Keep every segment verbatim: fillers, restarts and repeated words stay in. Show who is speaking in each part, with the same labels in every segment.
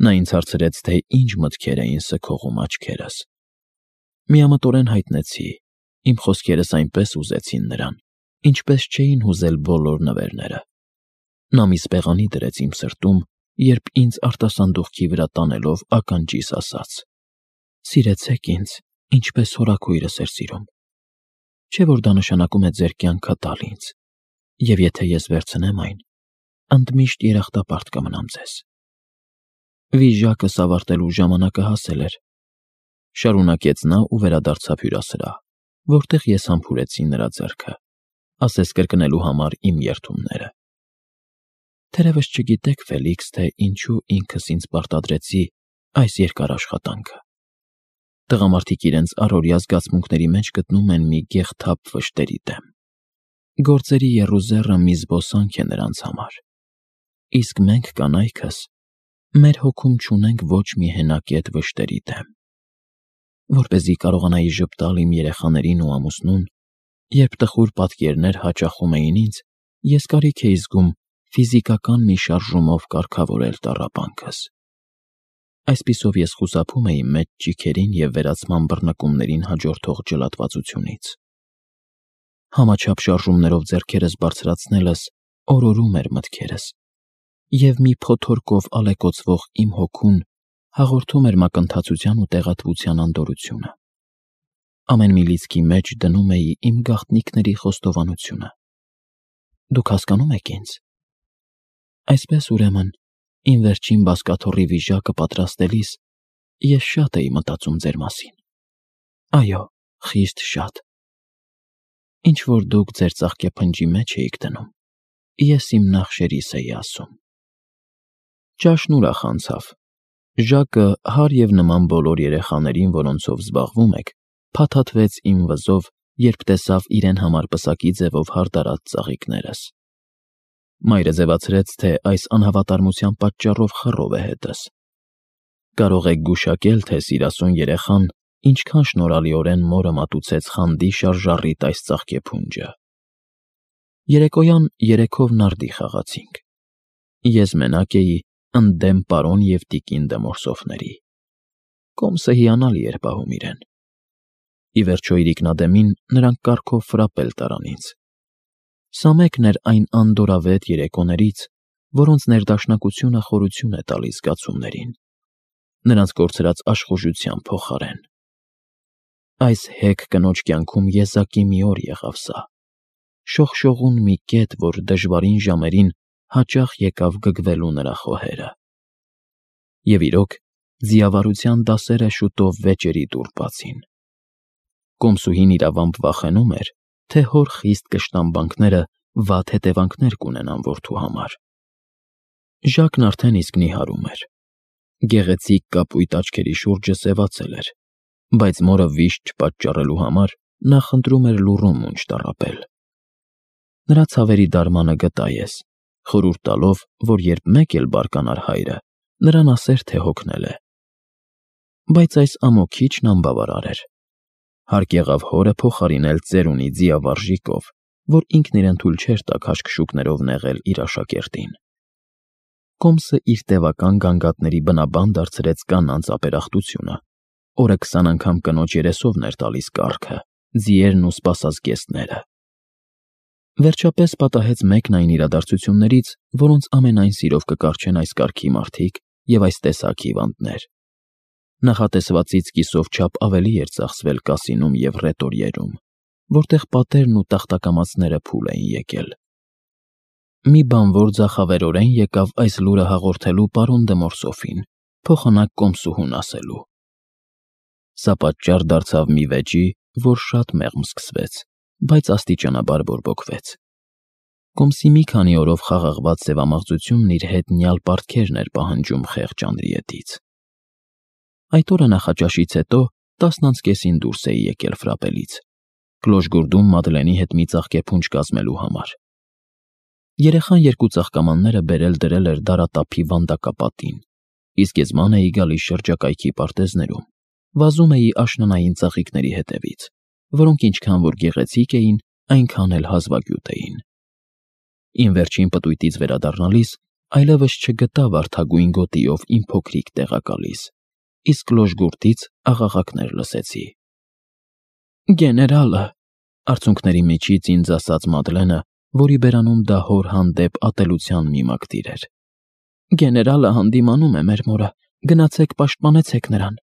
Speaker 1: Նա ինձ հարցրեց, թե ինչ մտքեր էին սգողում աչքերս։ Միամտորեն հայտնեցի, իմ խոսքերս այնպես հուզեցին նրան, ինչպես չէին հուզել բոլոր նվերները։ Նա մի սպեղանի դրեց իմ սրտում, երբ ինձ արտասանդուղքի վրա տանելով ականջիս ասաց. «Սիրեցեք ինձ, ինչպես հորաքույրս էր սիրում։ Չէ՞ որ դա նշանակում է ձեր կյանքը տալ ինձ, և եթե ես վերցնեմ այն, ընդմիշտ երախտապարտ կմնամ ձեզ»։ Վիժակս ավարտելու ժամանակը հասել էր, շարունակեց նա ու վերադարձավ հյուրասրահ, որտեղ ես համբուրեցի նրա ձեռքը, ասես կրկնելու համար իմ երդումները։ Թերևս չգիտեք, Ֆելիքս, թե ինչու ինքս ինձ պարտադրեցի այս երկար աշխատանքը։ Տղամարդիկ իրենց առօրյա զգացմունքների մեջ գտնում են մի գեղթափ վշտերի դեմ։ Գործերի եռուզեռը մի զբոսանք է նրանց համար, իսկ մենք կանայքս մեր հոգում չունենք ոչ մի հենակետ վշտերի դեմ։ Որպեսզի կարողանայի ժպտալ իմ երեխաներին ու ամուսնուն, երբ տխուր պատկերներ հաճախում էին ինձ, ես կարիք էի զգում ֆիզիկական մի շարժումով կարգավորել տառապանքս։ Այսպիսով ես խուսափում էի մեծ ճիգերին և վերացման բռնկումներին հաջորդող ջլատվածությունից։ Համաչափ շարժումներով ձեռքերս բարձրացնելս օրորում էր մտքերս, և մի փոթորկով ալեկոծվող իմ հոգուն հաղորդում էր մակընթացության ու տեղատվության անդորրությունը։ Ամեն մի լիցքի մեջ դնում էի իմ գաղտնիքների խոստովանությունը։ Դուք հասկանո՞ւմ եք ինձ։ Այսպես, ուրեմն, իմ վերջին բազկաթոռի վիժակը պատրաստելիս ես շատ էի մտածում ձեր մասին։ Այո, խիստ շատ։ Ինչ որ դուք ձեր ծաղկեփնջի մեջ էիք դնում, ես իմ նախշերիս էի ասում։ Ճաշն ուրախ անցավ։ Ժակը, հարև նման բոլոր երեխաներին, որոնցով զբաղվում եք, փաթաթվեց իմ վզով, երբ տեսավ իրեն համար պսակի ձևով հարդարած ծաղիկներս։ Մայրը ձևացրեց, թե այս անհավատարմության պատճառով խռով է հետս։ Կարող եք գուշակել, թե սիրասուն երեխան ինչքան շնորհալիորեն մորը մատուցեց խանդի շարժառիթ այս ծաղկեփունջը։ Երեկոյան երեքով նարդի խաղացինք։ Ես մենակ էի, ընդդեմ պարոն և տիկին դմորսոֆների։ Կոմսը հիանալի էր պահում իրեն։ Ի վերջո իրիկնադեմին նրանք կառքով ֆրապել տարան ինձ։ Սա մեկն էր այն անդորրավետ երեկոներից, որոնց ներդաշնակությունը խորություն է տալիս զգացումներին, նրանց կորցրած աշխուժության փոխարեն։ Այս հեգ կնոջ կյանքում եզակի մի օր եղավ սա, շողշողուն մի կետ, որ դժվարին ժամերին հաճախ եկավ գգվելու նրա խոհերը։ Եվ իրոք, ձիավարության դասերը շուտով վեճերի դուռ բացին։ Կոմսուհին իրավամբ վախենում էր, թե հոր խիստ կշտամբանքները վատ հետևանքներ կունենան որդու համար։ Ժակն արդեն իսկ նիհարում էր։ Գեղեցիկ կապույտ աչքերի շուրջը սևացել էր, բայց մորը վիշտ չպատճառելու համար նա խնդրում էր լուռում մունջ տառապել։ Նրա ցավերի դարմանը գտա ես, խորհուրդ տալով, որ երբ մեկ էլ բարկանար հայրը, նրան ասեր, թե հոգնել է։ Բայց այս ամոքիչն անբավարար էր։ Հարկ եղավ հորը փոխարինել ծերունի ձիավարժիկով, որ ինքն իրեն թույլ չէր տա քաշքշուկներով նեղել իր աշակերտին։ Կոմսը իր տևական գանգատների բնաբան դարձրեց կանանց ապերախտությունը, օրը քսան անգամ կնոջ երեսովն էր տալիս կառքը, ձիերն ու սպասազգեստները։ Վերջապես պատահեց մեկն այն իրադարձություններից, որոնց ամենայն սիրով կկառչեն այս կարգի մարդիկ և այս տեսակ հիվանդներ։ Նախատեսվածից կիսով չափ ավելի էր ծախսվել կասինում և ռետորիերում, որտեղ պատերն ու տախտակամածները փուլ էին եկել։ Մի բանվոր ձախավերորեն եկավ այս լուրը հաղորդելու պարոն Դմորսոֆին, փոխանակ կոմսուհուն ասելու։ Սա պատճառ դարձավ մի վեճի, որ շատ մեղմ սկսվեց, բայց աստիճանաբար բորբոքվեց։ Կոմսի մի քանի օրով խաղաղված սևամաղձությունն իր հետ նյալ պարտքերն էր պահանջում խեղճ Անդրիետից։ Այդ օրը նախաճաշից հետո տասն անց կեսին դուրս էի եկել ֆրապելից, Կլոշգուրդում Մադլենի հետ մի ծաղկեփունջ կազմելու համար։ Երեխան երկու ծաղկամանները բերել դրել էր դարատափի վանդակապատին, իսկ ես ման էի գալիս շրջակայքի պարտեզներում, վազում էի աշնանային ծաղիկների հետևից, որոնք ինչքան որ գեղեցիկ էին, այնքան էլ հազվագյուտ էին։ Իմ վերջին պտույտից վերադառնալիս այլևս չգտա վարդագույն գոտիով իմ փոքրիկ տեղակալիս, իսկ լոժգուրդից աղաղակներ լսեցի։ Գեներալը, արցունքների միջից ինձ ասաց Մադլենը, որի բերանում դա հոր հանդեպ ատելության մի մակտիր էր։ Գեներալը հանդիմանում է մեր մորը, գնացեք պաշտպանեցեք նրան։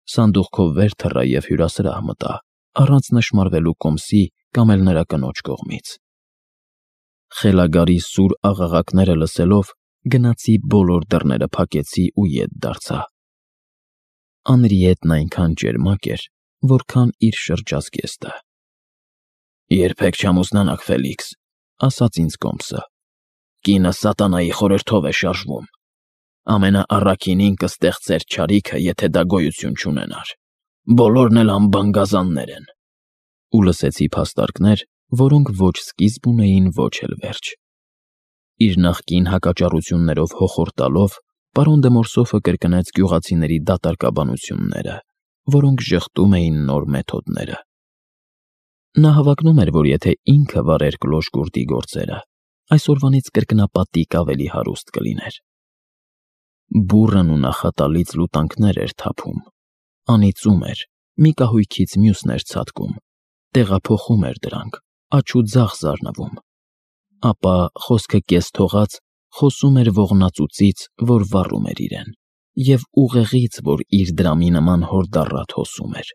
Speaker 1: Սանդուղքով վեր թռա և հյուրասրահ մտա, առանց նշմարվելու կոմսի կամ էլ նրա կնոջ կողմից։ Խելագարի սուր աղաղակները լսելով, գնացի բոլոր դռները փակեցի ու ետ դարձա։ Անրիետն այնքան ճերմակ էր, որքան իր շրջազգեստը։ Երբեք չամուսնանաք, Ֆելիքս, ասաց ինձ կոմսը։ Կինը սատանայի խորհրդով է շարժվում։ Ամենաառաքինին կստեղծեր չարիքը, եթե դա գոյություն չունենար։ Բոլորն էլ անբան գազաններ են։ Ու լսեցի փաստարկներ, որոնք ոչ սկիզբ ունեին, ոչ էլ վերջ։ Իր նախկին հակաճառություններով հոխորտալով, պարոն դե Մորսոֆը կրկնեց գյուղացիների դատարկաբանությունները, որոնք ժխտում էին նոր մեթոդները։ Նա հավակնում էր, որ եթե ինքը վարեր կլոշգուրդի գործերը, այսօրվանից կրկնապատիկ ավելի հարուստ կլիներ։ Բուռն ու նախատալից լուտանքներ էր թափում, անիծում էր, մի կահույքից մյուսն էր ցատկում, տեղափոխում էր դրանք, աջ ու ձախ զարնվում, ապա խոսքը կես թողած խոսում էր ողնածուծից, որ վառում էր իրեն, և ուղեղից, որ իր դրամի նման հորդառատ հոսում էր։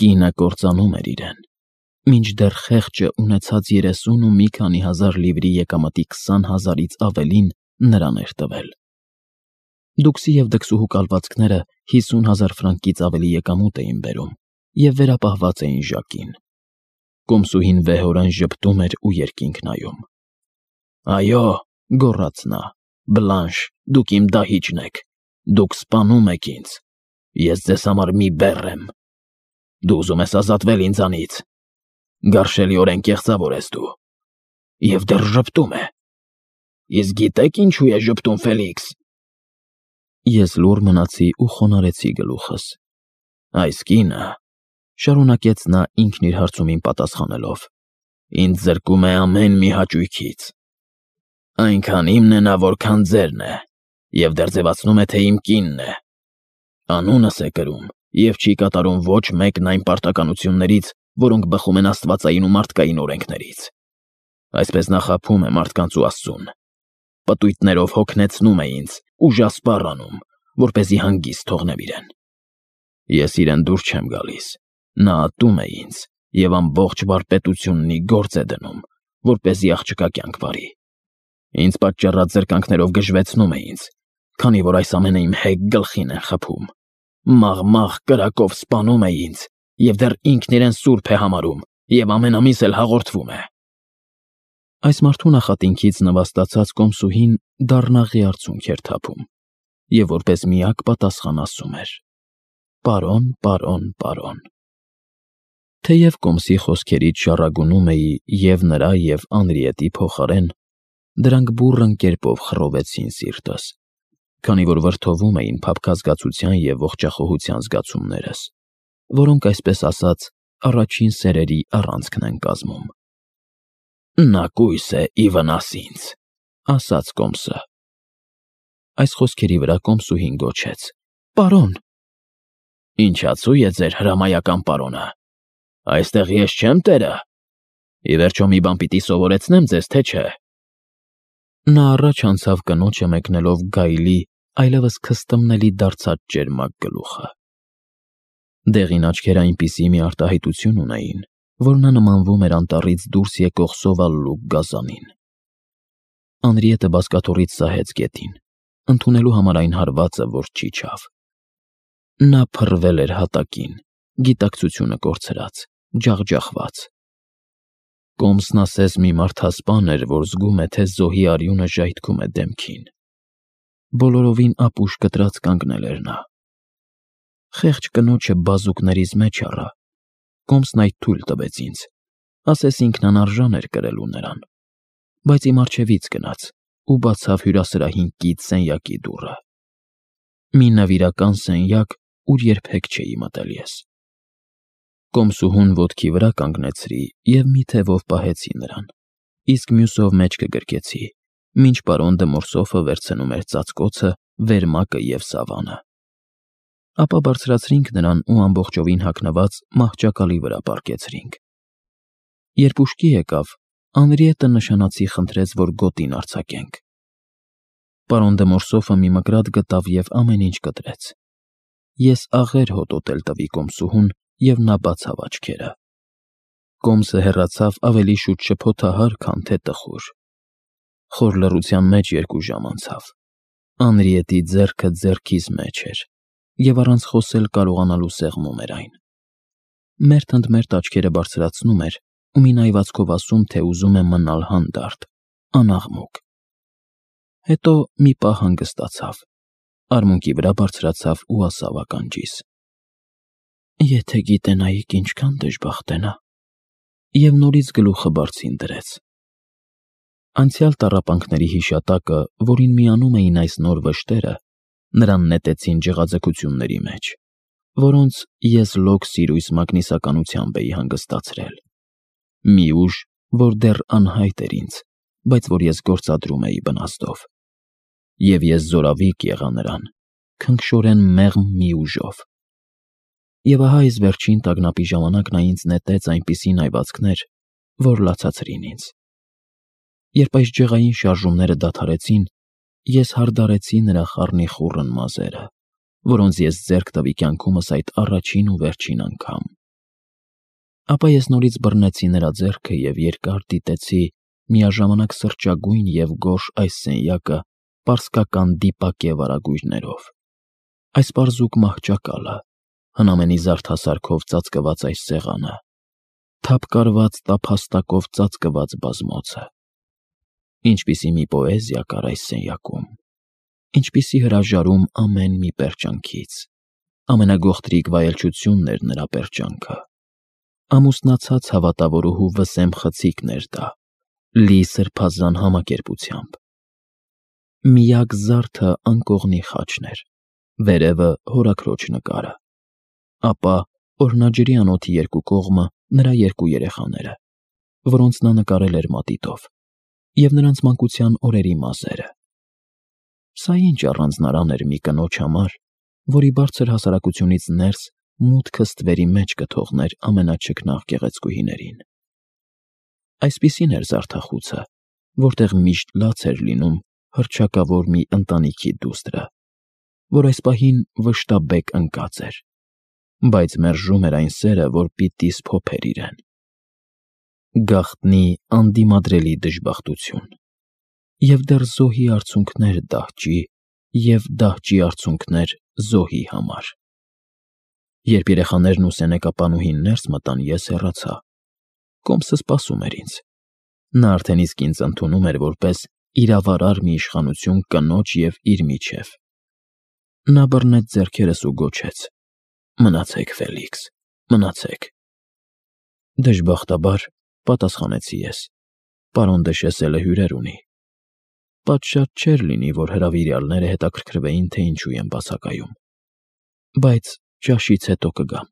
Speaker 1: Կինը կործանում էր իրեն, մինչդեռ խեղճը ունեցած երեսուն ու մի քանի հազար լիվրի եկամտի քսան հազարից ավելին նրան էր տվել։ Դուքսի և դքսուհու կալվածքները հիսուն հազար ֆրանկից ավելի եկամուտ էին բերում և վերապահված էին ժակին։ Կոմսուհին վեհորեն ժպտում էր ու երկինք նայում։ Այո, գոռաց նա, Բլանշ, դուք իմ դահիճն եք, դուք սպանում եք ինձ, ես ձեզ համար մի բեռ եմ։ Դու ուզում ես ազատվել ինձանից։ Գարշելիորեն կեղծավոր ես դու։ Եվ դեռ ժպտում է։ Իսկ գիտեք ինչու է ժպտում, Ֆելիքս։ Ես լուռ մնացի ու խոնարհեցի գլուխս։ Այս կինը, շարունակեց նա ինքն իր հարցումին պատասխանելով, ինձ զրկում է ամեն մի հաճույքից։ Այնքան իմն է նա, որքան ձերն է, և դեռ ձևացնում է, թե իմ կինն է։ Անունս է կրում և չի կատարում ոչ մեկն այն պարտականություններից, որոնք բխում են աստվածային ու մարդկային օրենքներից։ Այսպես նա խաբում է մարդկանց ու Աստծուն։ Պտույտներով հոգնեցնում է ինձ, ուժասպառ անում, որպեսզի հանգիստ թողնեմ իրեն։ Ես իրեն դուր չեմ գալիս, նա ատում է ինձ և ամբողջ վարպետությունն ի գործ է դնում, որպեսզի աղջկա կյանք վարի։ Ինձ պատճառած զրկանքներով գժվեցնում է ինձ, քանի որ այս ամենը իմ հեգ գլխին են խփում։ Մաղ-մաղ կրակով սպանում է ինձ և դեռ ինքն իրեն սուրբ է համարում և ամենամիս էլ հաղորդվում է։ Այս մարդու նախատինքից նվաստացած կոմսուհին դառնաղի արցունք էր թափում և որպես միակ պատասխան ասում էր. Պարոն, պարոն, պարոն։ Թեև կոմսի խոսքերից շառագունում էի և նրա և Անրիետի փոխարեն, դրանք բուռն կերպով խռովեցին սիրտս, քանի որ վրդովում էին փափկազգացության և ողջախոհության զգացումներս, որոնք, այսպես ասած, առաջին սերերի առանցքն են կազմում։ Նա կույս է ի վնաս ինձ, ասաց կոմսը։ Այս խոսքերի վրա կոմսուհին գոչեց. Պարոն։ Ինչացու է ձեր հրամայական պարոնը։ Այստեղ ես չեմ տերը։ Ի վերջո մի բան պիտի սովորեցնեմ ձեզ, թե չէ։ Նա առաջ անցավ կնոջը մեկնելով գայլի, այլևս քստմնելի դարձած ճերմակ գլուխը։ Դեղին աչքերը այնպիսի մի արտահայտություն ունեին, որ նա նմանվում էր անտառից դուրս եկող սովալլուկ գազանին։ Անրիետը բազկաթոռից սահեց գետին, ընդունելու համար այն հարվածը, որ չիջավ։ Նա փռվել էր հատակին, գիտակցությունը կորցրած, ջախջախված։ Կոմսն ասես մի մարդասպան էր, որ զգում է, թե զոհի արյունը ժայթքում է դեմքին։ Բոլորովին ապուշ կտրած կանգնել էր նա։ Խեղճ կնոջը բազուկներից մեջ առա։ Կոմսն այդ թույլ տվեց ինձ, ասես ինքն անարժան էր կրելու նրան, բայց իմ առջևից գնաց ու բացավ հյուրասրահին կից սենյակի դուռը։ Մի նվիրական սենյակ, ուր երբեք չէի մտել ես։ Կոմսուհուն ոտքի վրա կանգնեցրի և մի թևով պահեցի նրան, իսկ մյուսով մեջքը գրկեցի մինչ պարոն դե Մորսոֆը վերցնում էր ծածկոցը, վերմակը և սավանը։ Ապա բարձրացրինք նրան ու ամբողջովին հագնված մահճակալի վրա պառկեցրինք։ Երբ ուշքի եկավ, Անրիետը նշանացի խնդրեց, որ գոտին արձակենք։ Պարոն դե Մորսոֆը մի մկրատ գտավ և ամեն ինչ կտրեց։ Ես աղեր հոտոտել տվի կոմսուհուն, և նա բացավ աչքերը։ Կոմսը հեռացավ ավելի շուտ շփոթահար, քան թե տխուր։ Խոր լռության մեջ երկու ժամ անցավ։ Անրիետի ձեռքը ձեռքիս մեջ էր, և առանց խոսել կարողանալու սեղմում էր այն։ Մերթ ընդ մերթ աչքերը բարձրացնում էր ու մի նայվածքով ասում, թե ուզում է մնալ հանդարտ, անաղմուկ։ Հետո մի պահ հանգստացավ, արմունկի վրա բարձրացավ ու ասավ ականջիս. «Եթե գիտենայիք ինչքան դժբախտ է նա», և նորից գլուխը բարձին դրեց։ Անցյալ տառապանքների հիշատակը, որին միանում էին այս նոր վշտերը, նրան նետեցին ջղաձգությունների մեջ, որոնց ես լոկ սիրույս մագնիսականությամբ էի հանգստացրել։ Մի ուժ, որ դեռ անհայտ էր ինձ, բայց որ ես գործադրում էի բնազդով։ Եվ ես զորավիկ եղա նրան, քնքշորեն մեղմ մի ուժով։ Եվ ահա այս վերջին տագնապի ժամանակ նա ինձ նետեց այնպիսի նայվածքներ, որ լացացրին ինձ։ Երբ այս ջղային շարժումները դադարեցին, ես հարդարեցի նրա խառնիխուռն մազերը, որոնց ես ձեռք տվի կյանքումս այդ առաջին ու վերջին անգամ։ Ապա ես նորից բռնեցի նրա ձեռքը և երկար դիտեցի միաժամանակ սրճագույն և գորշ այս սենյակը պարսկական դիպակ և արագույրներով, այս պարզուկ մահճակալը, հնամենի զարդասարքով ծածկված այս սեղանը, թափկարված տափաստակով ծածկված բազմոցը։ Ինչպիսի մի պոեզիա կար այս սենյակում, ինչպիսի հրաժարում ամեն մի պերճանքից, ամենագողտրիկ վայելչությունն էր նրա պերճանքը, ամուսնացած հավատավորուհու վսեմ խցիկն էր դա, լի սրբազան համակերպությամբ։ Միակ զարդը անկողնի խաչն էր, վերևը հորաքրոջ նկարը, ապա օրհնաջրի անոթի երկու կողմը նրա երկու երեխաները, որոնց նա նկարել էր մատիտով, և նրանց մանկության օրերի մազերը։ Սա ինչ առանձնարան էր մի կնոջ համար, որի բարձր հասարակությունից ներս մուտքը ստվերի մեջ կթողներ ամենաչքնաղ գեղեցկուհիներին։ Այսպիսին էր զարդախուցը, որտեղ միշտ լաց էր լինում հռչակավոր մի ընտանիքի դուստրը, որ այս պահին վշտաբեկ ընկած էր, բայց մերժում էր այն սերը, որ պիտի սփոփեր իրեն։ Գաղտնի անդիմադրելի դժբախտություն, և դեռ զոհի արցունքներ դահճի և դահճի արցունքներ զոհի համար։ Երբ երեխաներն ու սենեկապանուհին ներս մտան, ես հեռացա։ Կոմսը սպասում էր ինձ։ Նա արդեն իսկ ինձ ընդունում էր որպես իրավարար մի իշխանություն կնոջ և իր միջև։ Նա բռնեց ձեռքերս ու գոչեց. «Մնացեք, Ֆելիքս, մնացեք»։ Դժբախտաբար, պատասխանեցի ես, պարոն դե Շեսելը հյուրեր ունի։ Պատշաճ չէր լինի, որ հրավիրյալները հետաքրքրվեին, թե ինչու եմ բացակայում։ Բայց ճաշից հետո կգամ։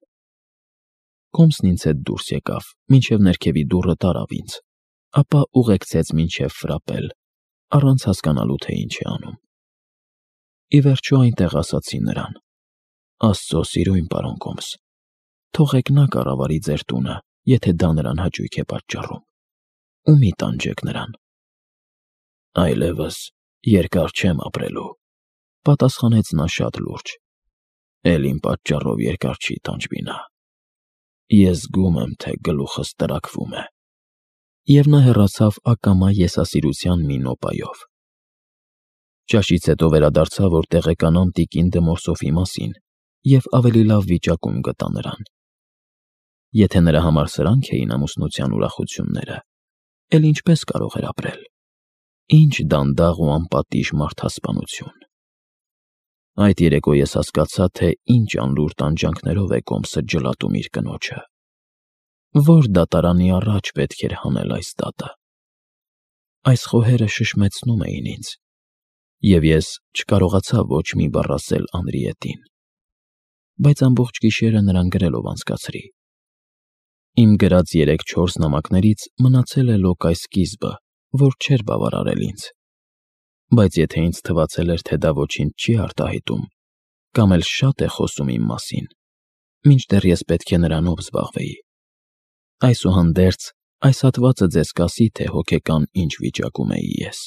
Speaker 1: Կոմսն ինձ հետ դուրս եկավ, մինչև ներքևի դուռը տարավ ինձ, ապա ուղեկցեց մինչև ֆրապել, առանց հասկանալու, թե ինչ է անում։ Ի վերջո այնտեղ ասացի նրան. «Աստծո սիրույն պարոն Կոմս, թողեք նա կառավարի ձեր տունը, եթե դա նրան հաճույք է պատճառում, ու մի տանջեք նրան»։ «Այլևս երկար չեմ ապրելու», պատասխանեց նա շատ լուրջ, «էլ իմ պատճառով երկար չի տանջվի նա։ Ես զգում եմ, թե գլուխս տրաքվում է»։ Եվ նա հեռացավ ակամա եսասիրության մի նոպայով։ Ճաշից հետո վերադարձա, որ տեղեկանամ տիկին դե Մորսոֆի մասին և ավելի լավ վիճակում գտա նրան։ Եթե նրա համար սրանք էին ամուսնության ուրախությունները, էլ ինչպես կարող էր ապրել։ Ինչ դանդաղ ու անպատիժ մարդասպանություն։ Այդ երեկո ես հասկացա, թե ինչ անլուր տանջանքներով է Կոմսը ջլատում իր կնոջը։ Որ դատարանի առաջ պետք էր հանել այս դատը։ Այս խոհերը շշմեցնում էին ինձ, և ես չկարողացա ոչ մի բառ ասել Անրիետին, բայց ամբողջ գիշերը նրան գրելով անցկացրի։ Իմ գրած երեք-չորս նամակներից մնացել է լոկ այս սկիզբը, որ չէր բավարարել ինձ, Բայց եթե ինձ թվացել էր, թե դա ոչինչ չի արտահայտում, կամ էլ շատ է խոսում իմ մասին, մինչդեռ ես պետք է նրանով զբաղվեի։ Այսուհանդերձ, այս հատվածը ձեզ կասի, թե հոգեկան ինչ վիճակում էի ես։